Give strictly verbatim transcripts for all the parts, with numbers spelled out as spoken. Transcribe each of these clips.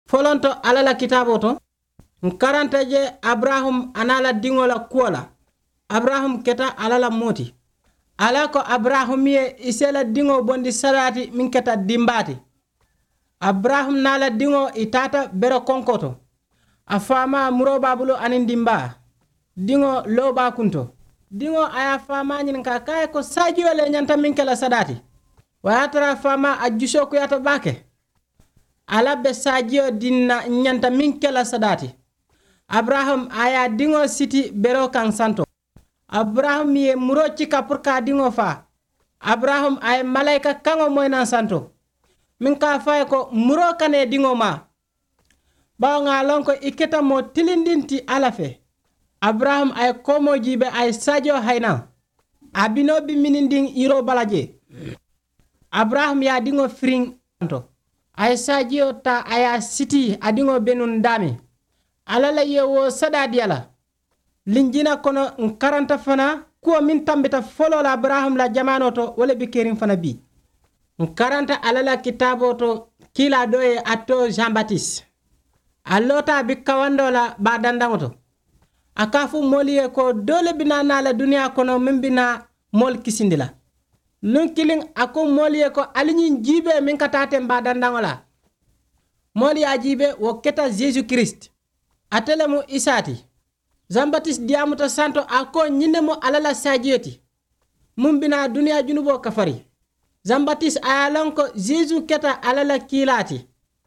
Folonto alla la kitaaboo to, ǹ karanta je abaraham a naa la diŋo la kuwo la. Abaraham keta alla la moo ti. Alla ko abaraham ye i se la diŋo bondi sadaati meŋ keta dimbaa ti. Abaraham naa la diŋo i taata bere konkoo to. A faamaa muroo be a bulu aniŋ dimbaa. Diŋo loo be a kunto. Diŋo a ye a faamaa ñininkaa ka a ye ko saajiyo le ñanta meŋ ke la sadaati? Wo ye a tara a faamaa a jusoo kuyaata baake. Alla be saajiyo diŋ na ñanta meŋ ke la sadaati? Abaraham a ye a diŋo siti beroo kaŋ santo. Abaraham ye muroo cika puru ka a diŋo faa. Abaraham a ye malayika kaŋo moyi naŋ santo, meŋ ka a fo a ye ko muroo kana i diŋo maa, bawo ŋà a loŋ ko i keta moo tilindiŋ ti alla fee. Abaraham a ye koomoo jiibee a ye saajiyo hayi naŋ. A binoo be minindiŋ yiroo bala jee. Abaraham ye a diŋo firiŋ santo. A ye saajiyo taa a ye a sitii a diŋo be nuŋ daameŋ. Alla la ye wo sadaa dii a la. Linjina kono ǹ karanta fanaa kuwo meŋ tambita foloo la abaraham la jamaanoo to wo le be keriŋ fana bii. Ǹ karanta alla la kitaaboo to kiilaa doo ye a too jean batis. A loota a be kawandoo la baa dandaŋo to. A ka a fo moolu ye ko doo le be naa naa la duniyaa kono meŋ be naa moolu kisindi la. Luŋ kiliŋ a ko moolu ye ko ali ñiŋ jiibee meŋ ka taa teŋ baa dandaŋo la. Moolu ye a jiibee wo keta jesu kirist. Ate le mu isaa ti. Jean batis diyaamuta santo a ko ñiŋ ne mu alla la saajiyo ti. Muŋ bi naa duniyaa junuboo kafari. Jean batis a ye a loŋ ko jesu keta alla la kiilaa ti.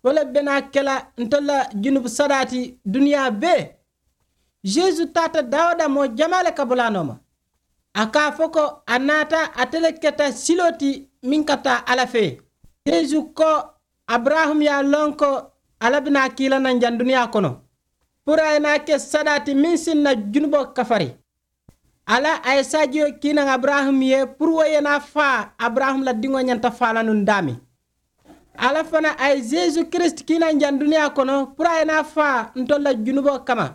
Wo le be naa ke la ntolu la junubu sadaa ti duniyaa bee. Jesu taata dawuda moo jamaa le kabulaa nooma. A ka a fo ko a naata ate le keta siloo ti meŋ ka taa alla fee. Jesu ko abaraham ye a loŋ ko alla be naa kiila naŋ jaŋ duniyaa kono puru a ye naa ke sadaa ti meŋ si ǹ na junuboo kafari. Alla a ye saajiyo kii naŋ abaraham ye puru wo ye naa faa abaraham la diŋo ñanta faa la nuŋ daameŋ. Alla fanaa a ye jesu kirist kii naŋ jaŋ duniyaa kono puru a ye naa faa ntolu la junuboo kamma.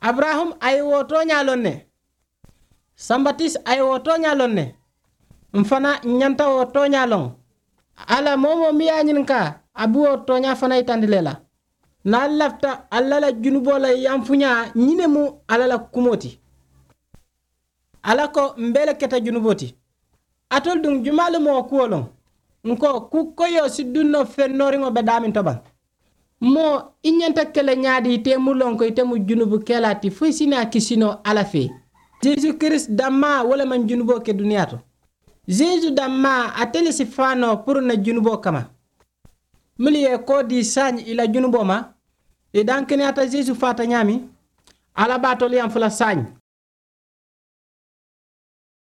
Abaraham a ye wo tooñaa loŋ ne. Sambatis a ye wo tooñaa loŋ ne. M̀ fanaa ǹ ñanta wo tooñaa loŋ. Alla moo-wo-moo miŋ ye a ñininkaa a be wo tooñaa fanaa yitandi le la. Niŋ ali lafita alla la junuboo la yamfuñaa ñiŋ ne mu alla la kumoo ti. Alla ko m̀ bee le keta junuboo ti. Alitolu duŋ jumaa le mu wo kuwo loŋ? Ǹ ko kuu koyoo si duŋ noo feŋ nooriŋo be daameŋ to baŋ. Moo i ñanta ke le ñaadii ite mu loŋ ko ite mu junubu kelaa ti fo i si naa kisi noo alla fee. Jesu kirist dammaa wo le maŋ junuboo ke duniyaa to. Jesu dammaa ate le si faa noo puru ǹ na junuboo kamma. Mennu ye koo dii saayiŋ ì la junuboo ma. Ì dankeniyaata jesu faata ñaameŋ. Alla be alitolu yaŋ fula saayiŋ.